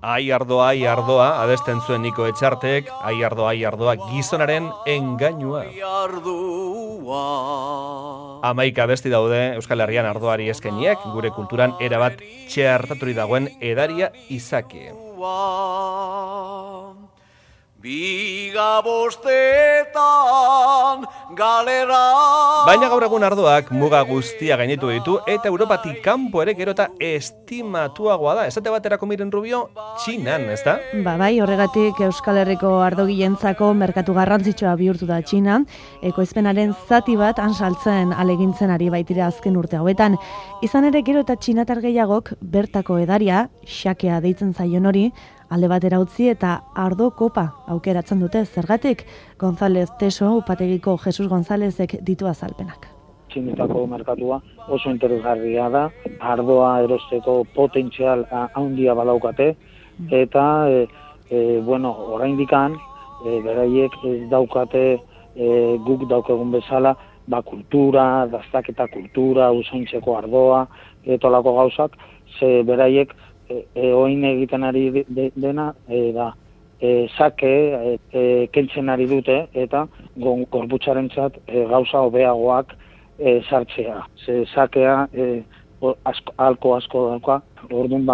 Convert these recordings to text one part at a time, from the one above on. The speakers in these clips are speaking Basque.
Ai ardoa, abesten zuen Niko Etxartek, ai ardoa, gizonaren engainua. 11 abesti daude Euskal Herrian ardoari eskeniek, gure kulturan erabat txertaturi dagoen edaria izaki. Bigabostetan galera. Baina gaur egun ardoak muga guztia gainitu ditu eta Europatik kanpo ere gero eta estimatuagoa da. Esate baterako Miren Rubio, Txinan, ezta? Bai, horregatik Euskal Herriko ardogilentzako merkatu garrantzitsua bihurtu da Txina. Ekoizpenaren zati bat saltzen alegintzen ari baitira azken urte hauetan. Izan ere gero eta txinatar gehiagok bertako edaria, xakea deitzen zaion hori, alde batera utzi eta ardo kopa aukeratzen dute. Zergatik, González Teso, upategiko Jesus Gonzálezek ditu azalpenak. Txinetako merkatua oso interesgarria da, ardoa erosteko potentzial handia badaukate, eta oraindikan beraiek ez daukate guk daukagun bezala, kultura, daztaketa kultura, usaintzeko ardoa, etolako gauzak, ze beraiek oin egiten ari dena da sake kentzen ari dute eta gorputzarentzat gauza hobeagoak sartzea. Ze sakea alko asko dauka, orduan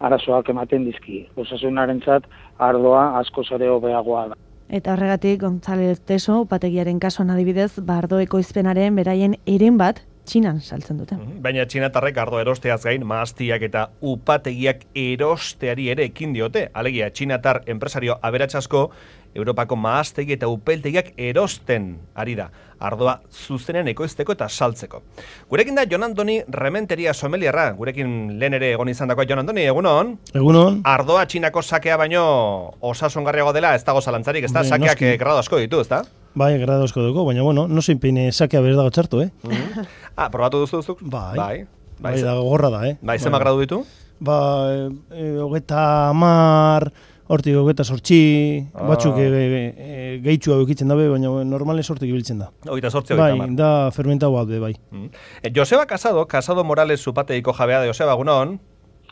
arazoak ematen dizki. Osasunarentzat ardoa asko zare hobeagoa da. Eta horregatik González Teso, upategiaren kasuan adibidez, ardo ekoizpenaren beraien eren bat Txinan saltzen dute. Baina txinatarrek ardo erosteaz gain mahastiak eta upategiak erosteari ere ekin diote. Alegia, txinatar enpresario aberatsasko Europako mahastegi eta upeltegiak erosten ari da. Ardoa zuzenen ekoizteko eta saltzeko. Gurekin da Jon Andoni Rementeria sommeliarra. Gurekin lehen ere egon izan dakoa Jon Andoni, egunon? Egunon. Ardoa txinako sakea baino osasungarriago dela, ez dago zalantzarik, ez da? Sakeak grado asko ditu, ez da? Bai, grado asko dugu, baina no zein sakea berdago txartu, probatu duzuk? Bai, da gorra da, Bai, zema gradu ditu? 30, hortik 28, batzuk gehitxua eukitzen dabe, baina normalen sortik ibiltzen da. 28. Bai, da fermentau bat, bai. Joseba Casado Morales zupateiko jabea da. Joseba, egunon?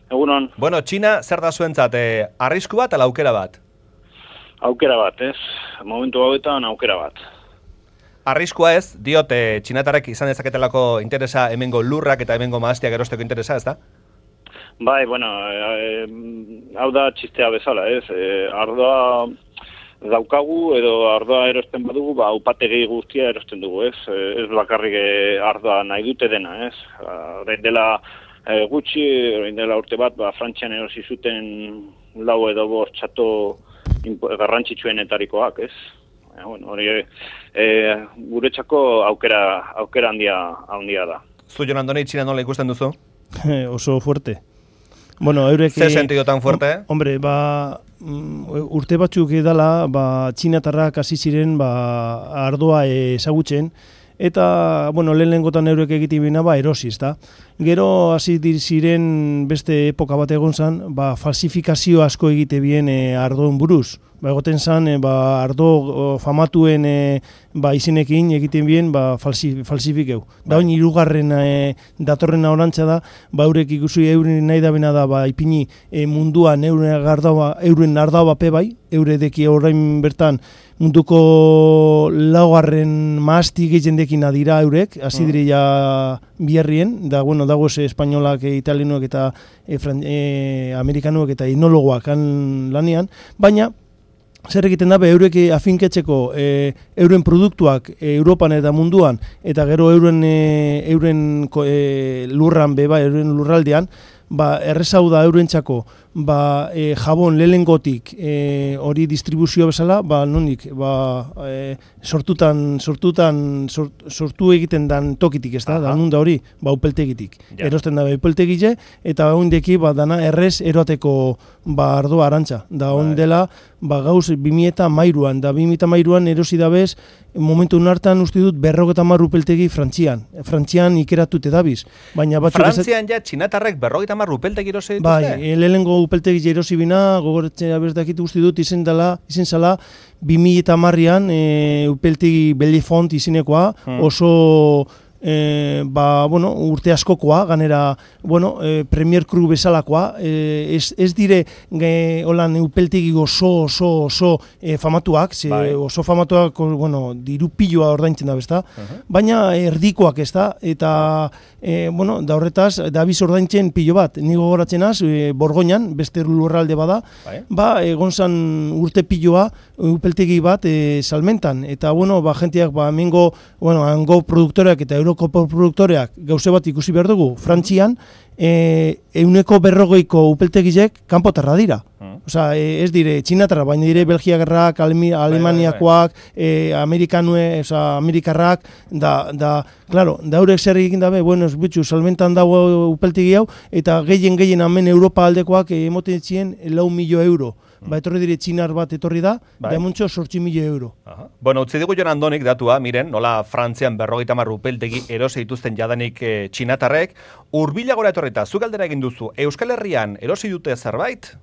Egunon. Bueno, Txina zer da zuentzat, arrisku bat ala aukera bat? Aukera bat, ez? Momentu hauetan aukera bat. Arriskua ez, diote txinatarrek izan dezaketelako interesa hemengo lurrak eta hemengo mahastiak erosteko interesa, ez da? Bai, hau da txistea bezala, ez? Ardoa daukagu edo ardoa erosten badugu, upategi guztia erosten dugu, ez? Ez bakarrik ardoa nahi dute dena, ez? Orain dela gutxi, orain dela urte bat, Frantzian erosi zuten 4 edo 5 txato garrantzitsuenetarikoak, ez? Hori guretzako aukera handia da. Zu, Jon Andoni, Txina nola ikusten duzu? Oso fuerte. Eurek... Zer sentido tan fuerte? Hombre, urte batzuk edala, txinatarrak hasi ziren ardoa ezagutzen, eta, lehenengotan eurek egitibina erosiz, da. Gero hasi ziren beste epoka bat egon zan, falsifikazio asko egite bien ardoen buruz. Egoten zan, ardo famatuen izenekin egiten bien falsifikeu. Da oin hirugarren datorren orantza da, eurek ikusi euren nahi da bena da, ipini munduan euren ardoa bape bai, euredeki orain bertan munduko 4. mahasti gehiendekin adira eurek, hasi diria biherrien, da, dago espainolak, italianoak eta amerikanoak eta etnologoak lanean, baina zer egiten da, eurek afinketzeko euren produktuak Europan eta munduan, eta gero euren lurran euren lurraldean, errezau da eurentzako jabon lehengotik hori distribuzio bezala, nondik, sortu egiten dan tokitik, ez da, nun da hori, upeltegitik. Erosten da upeltegile, eta ondeki dana errez eroateko ardoa arantza. Da ondela, gauz 2013an, da 2013an erosi dabez, momentu hartan uste dut 50 upeltegi Frantzian ikeratute dabiz. Frantzian ja txinatarrek 50 upeltegi erosi dituzte? Bai, lehenengo upeltegi erosi bina, gogoratzea bertakit uste dut izen zala 2010an upeltegi Bellefont izenekoa, oso urte askokoa, ganera, Premier Cru bezalakoa, ez dire holan upeltegi oso famatuak, oso famatuak, diru piloa ordaintzen da, bezta, baina erdikoak ez da, eta, da horretaz, da biz ordaintzen pilo bat, nigo goratzen az, Borgoinan, beste lurralde bada, egon zan urte piloa, upeltegi bat salmentan, eta, jentiak, hango produktoreak eta Euroko produktoreak gauze bat ikusi behar dugu, Frantzian, 140ko upeltegizek kanpotarra dira. Osa, ez dire txinatarra, baina dire belgiakarrak, alemaniakoak, amerikarrak, da haurek zer egin dabe, salmentan dago upeltegi hau, eta gehien hemen Europa aldekoak emoten ziren 4.000.000 euro. Etorri dire txinar bat etorri da, demuntxo 8.000 euro. Utzi digu Jon Andonik datua, miren, nola Frantzian 50 upeltegi erosi dituzten jadanik txinatarrek, hurbila gora etorrita, zu galdera egin duzu, Euskal Herrian erosi dute zerbait?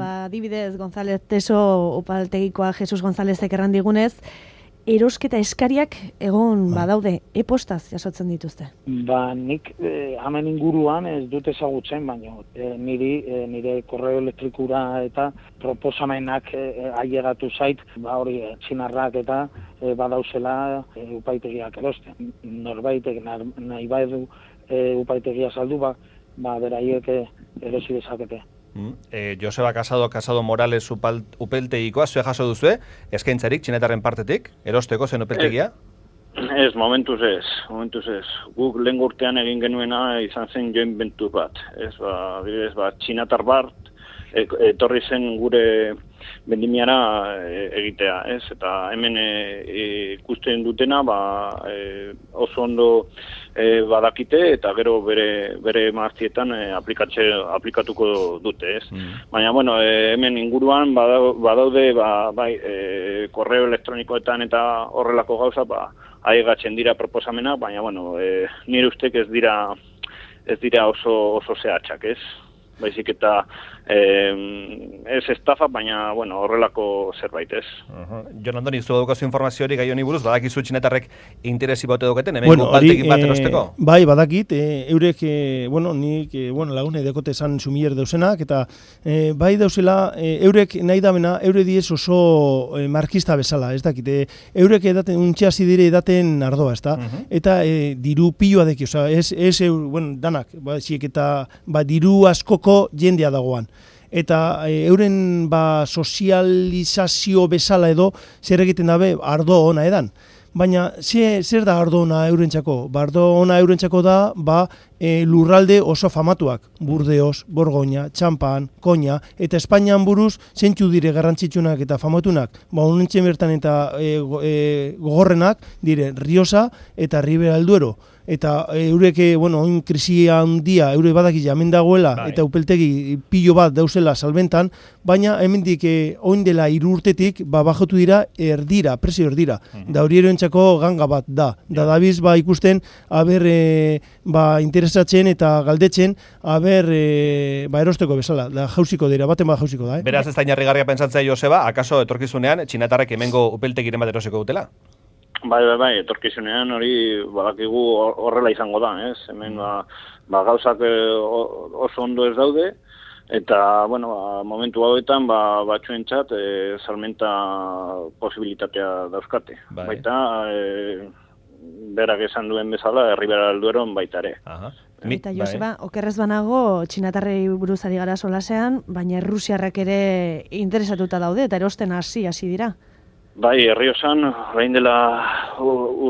Adibidez, González Teso upeltegikoa Jesus Gonzálezek erran digunez, erosketa eskariak egon badaude, e-postaz jasotzen dituzte? Nik hemen inguruan ez dut ezagutzen, baina nire korreo elektrikura eta proposamenak ailegatu zait, hori txinarrak eta badauzela upaitegiak erosten. Norbaitek nahi badu upaitegia saldu, beraiek erosi dezakete. Joseba Casado Morales upeltegikoa, zue jaso duzue, eskaintzarik txinetarren partetik, erosteko zen upeltegia? Ez, momentuz ez. Guk lehen urtean egin genuena izan zen joint venture bat. Txinatar bat, etorri zen gure vendimiara egitea, ez? Eta hemen ikusten dutena, oso ondo badakite eta gero bere maaztietan aplikatuko dute, ez? Baina, hemen inguruan badaude, korreo elektronikoetan eta horrelako gauza, aigatzen dira proposamena, baina, nire ustek ez dira oso zehatzak, ez? Baizik eta ez estafa, baina, horrelako zerbait, ez. Jon Andoni, zu daukazu informazio hori gai honi buruz, badakizu txinetarrek interesi bote dauketen, hemen upaltegin bat erosteko? Bai, badakit, eurek, nik lagune dekote esan sumier dauzenak, eta bai dauzela, eurek nahi damena, eure diez oso markista bezala, ez dakit, eurek untxeazi dire edaten ardoa, ez da? Eta diru piloa deki, danak, ziek eta diru askoko jendea dagoan. Eta euren sozializazio bezala edo zer egiten dabe ardo ona edan. Baina zer da ardo ona eurentzako? Ardo ona eurentzako da lurralde oso famatuak. Burdeos, Borgoña, Txampan, Koña, eta Espainian buruz zentzu dire garrantzitsunak eta famatunak. Honentzen bertan eta gogorrenak dire Rioja eta Ribera del Duero. Eta eureke, oin krisia handia, eure badaki hemen dagoela, eta upeltegi pilo bat dauzela salbentan, baina hemendik oin dela 3 urtetik, bajotu dira erdira, presio erdira. Da hori eroentzako ganga bat da. Da dabiz, ikusten, interesatzen eta galdetzen, erosteko bezala. Da jauziko dira, baten jauziko da. Beraz ez da inarrigarria pentsatzea, Joseba, akaso etorkizunean, txinatarrek hemengo upeltegiren bat erosiko dutela? Bai, etorkizunean hori badakigu horrela izango da, ez? Hemen gauzak oso ondo ez daude, eta, momentu hauetan batzuentzat salmenta posibilitatea dauzkate. Baita, berak esan duen bezala, Ribera del Dueron baita ere. Eta Joseba, okerrez banago, txinatarrei buruz ari gara solasean, baina Errusiarrak ere interesatuta daude, eta erosten hasi dira. Bai, Errioxan, orain dela 2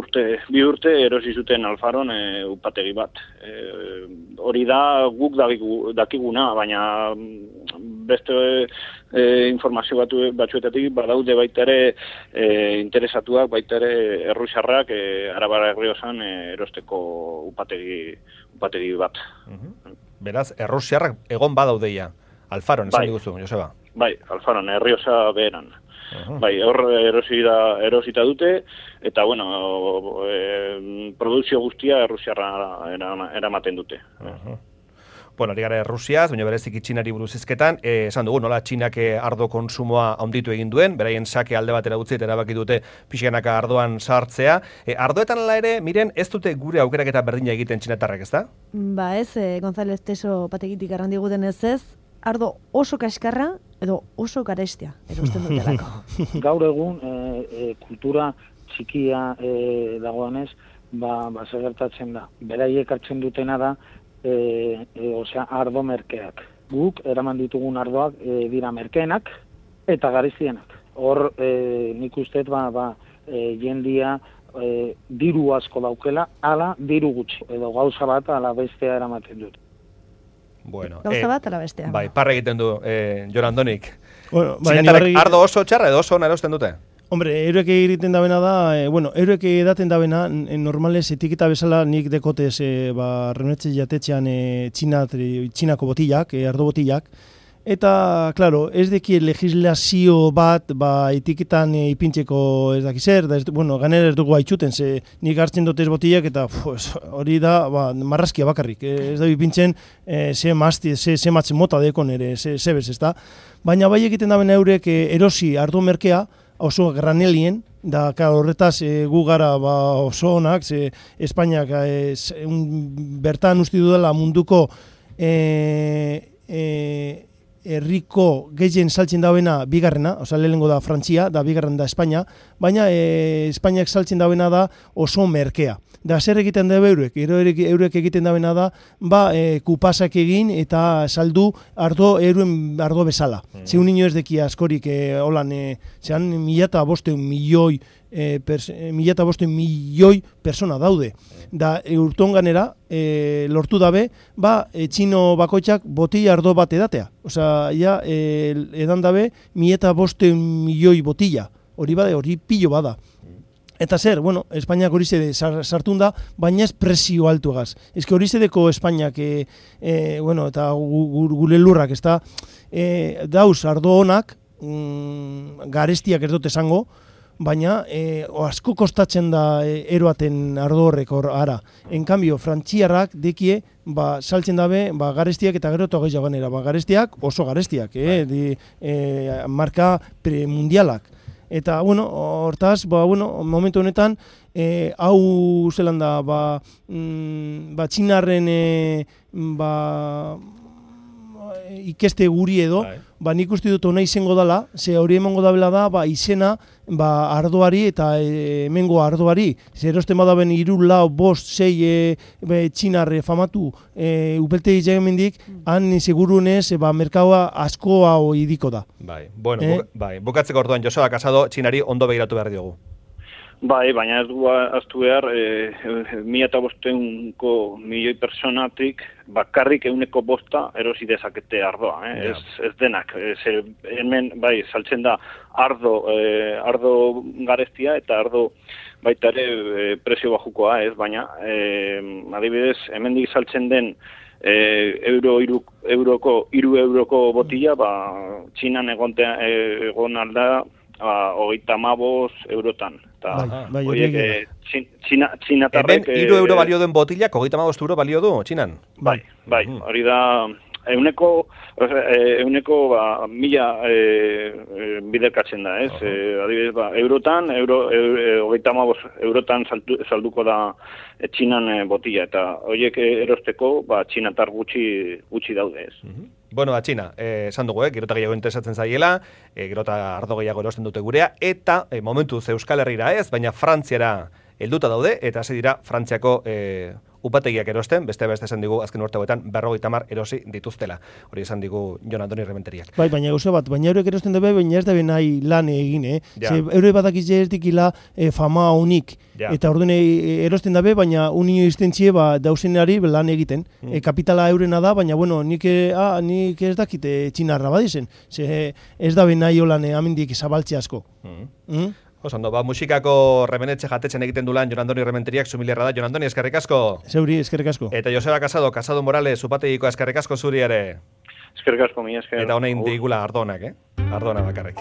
urte erosi zuten Alfaron upategi bat. Hori da guk dakiguna, baina beste informazio batzuetatik badaude baita ere interesatuak, baita ere Errusiarrak Arabara Errioxan erosteko upategi bat. Beraz, Errusiarrak egon badaudeia, Alfaron, esan diguzu, Joseba? Bai, Alfaron, Errioxa beheran. Bai, hor erosita dute, eta, produzio guztia Errusiarra eramaten dute. Bueno, ari gara Rusiaz, baina bereziki Txinari buruz hizketan, esan dugu, nola Txinak ardo konsumoa handitu egin duen, beraien sake alde batera utzi eta erabaki dute pixkanaka ardoan sartzea. Ardoetan ala ere, miren, ez dute gure aukeraketa berdina egiten txinatarrak, ezta? Ba ez, González Teso pategitik arrandi guten ez, ardo oso kaskarra edo oso garestia, erosten dutelako. Gaur egun kultura txikia dagoenez, zer gertatzen da. Beraiek hartzen dutena da, ardo merkeak. Guk eraman ditugun ardoak dira merkeenak eta garestienak. Hor nik usteet jendia diru asko daukela, ala diru gutxi. Edo gauza bat ala bestea eramaten dut. Bueno, gauza bat ala bestea. Bai, parra egiten du Jon Andonik. Bueno, ardo oso txarra edo oso ona erosten dute? Hombre, euroek egiten dabena da, euroek edaten dabena, normales etiketa bezala nik dekotez renetxe jatetxean txinako botillak, ardo botillak, eta, klaro, ez deki legislazio bat, etiketan ipintzeko ez daki zer, ganera ez dugu haitxuten, nik hartzen dutez botillak, eta hori da, marrazkia bakarrik, ez da ipintzen, ze matzen mota dekon ere, ze bez, ez da, baina bai egiten dabena eurek erosi ardo merkea, oso granelien, da horretaz gu gara oso onak, Espainiak bertan uste dudala munduko herriko gehien saltzen dauena bigarrena, lehenengo da Frantzia, da bigarren da Espainia, baina Espainiak saltzen dauena da oso merkea. Da zer egiten da eurek egiten dauena da, kupasak egin eta saldu ardo bezala. Zeun ino ez deki askorik holan, zean 1.500 milioi persona daude. Da urton ganera, lortu dabe, txino bakoitzak botilla ardo bat edatea. Osa, edan dabe 1.500 milioi botilla. Hori pilo bada. Eta zer, Espainiak hori zede sartun da, baina ez presio altuagaz. Ez que hori zedeko Espainiak, eta gure lurrak, ez da, dauz ardo honak, garestiak ez dut esango, baina asko kostatzen da eroaten ardo horrek ara. En cambio, frantziarrak dekie, saltzen dabe, garestiak eta gero eta gehiago ganera. Garestiak oso garestiak, marka premundialak. Eta, hortaz, momentu honetan, hau zelan da, txinarren ikeste guri edo, nik uste dut hona izango dela, ze hori emango dabela da, izena ardoari eta hemengo ardoari. Ze erosten badaben 3, 4, 5, txinarre famatu upeltegi jagemendik, han segurunez merkaua asko hau idiko da. Bukatzeko orduan Joseba Casado txinari ondo begiratu behar diogu. Bai, baina ez du aztu behar, 1.500 milioi personatik bakarrik 1/5 erosi dezakete ardoa, ez denak. Hemen, saltzen da ardo garestia eta ardo baita ere prezio bajukoa, baina adibidez, hemendik saltzen den 3 euroko botilla, Txinan egon alda 35 eurotan. Txinatarrek... Hemen 3 euro balio duen botilak, 35 euro balio du, Txinan? Bai, hori da... Euneko 1000 biderkatzen da, ez? Adibidez, eurotan, 35 eurotan salduko da Txinan botila, eta horiek erosteko txinatar gutxi daude, ez? Txina, esan dugu, gero eta gehiago interesatzen zaiela, gero eta ardo gehiago erosten dute gurea, eta momentuz Euskal Herrira ez, baina Frantziara helduta daude, eta hasi dira Frantziako upategiak erosten, beste esan digu azken urte hauetan 50 erosi dituztela. Hori esan digu Jon Andoni Rementeriak. Baina gauza bat, baina eurek erosten dabe, baina ez dabe nahi lan egin, Eure badakize ez dikila fama unik. Eta orduan erosten dabe, baina unio iztentzie dausenari lan egiten. Kapitala eurena da, baina nik ez dakite txinarra badizen. Ez dabe nahi holan amendik zabaltze asko. Osando, musikako remenetxe jatetzen egiten du lan Jon Andoni Rementeriak zumilerra da. Jon Andoni, eskerrik asko. Zeuri, eskerrik asko. Eta Joseba Casado Morales, upategiko eskerrik asko zuri ere. Eskerrik asko, mi esker. Eta honein digula ardonak, Ardona bakarrik.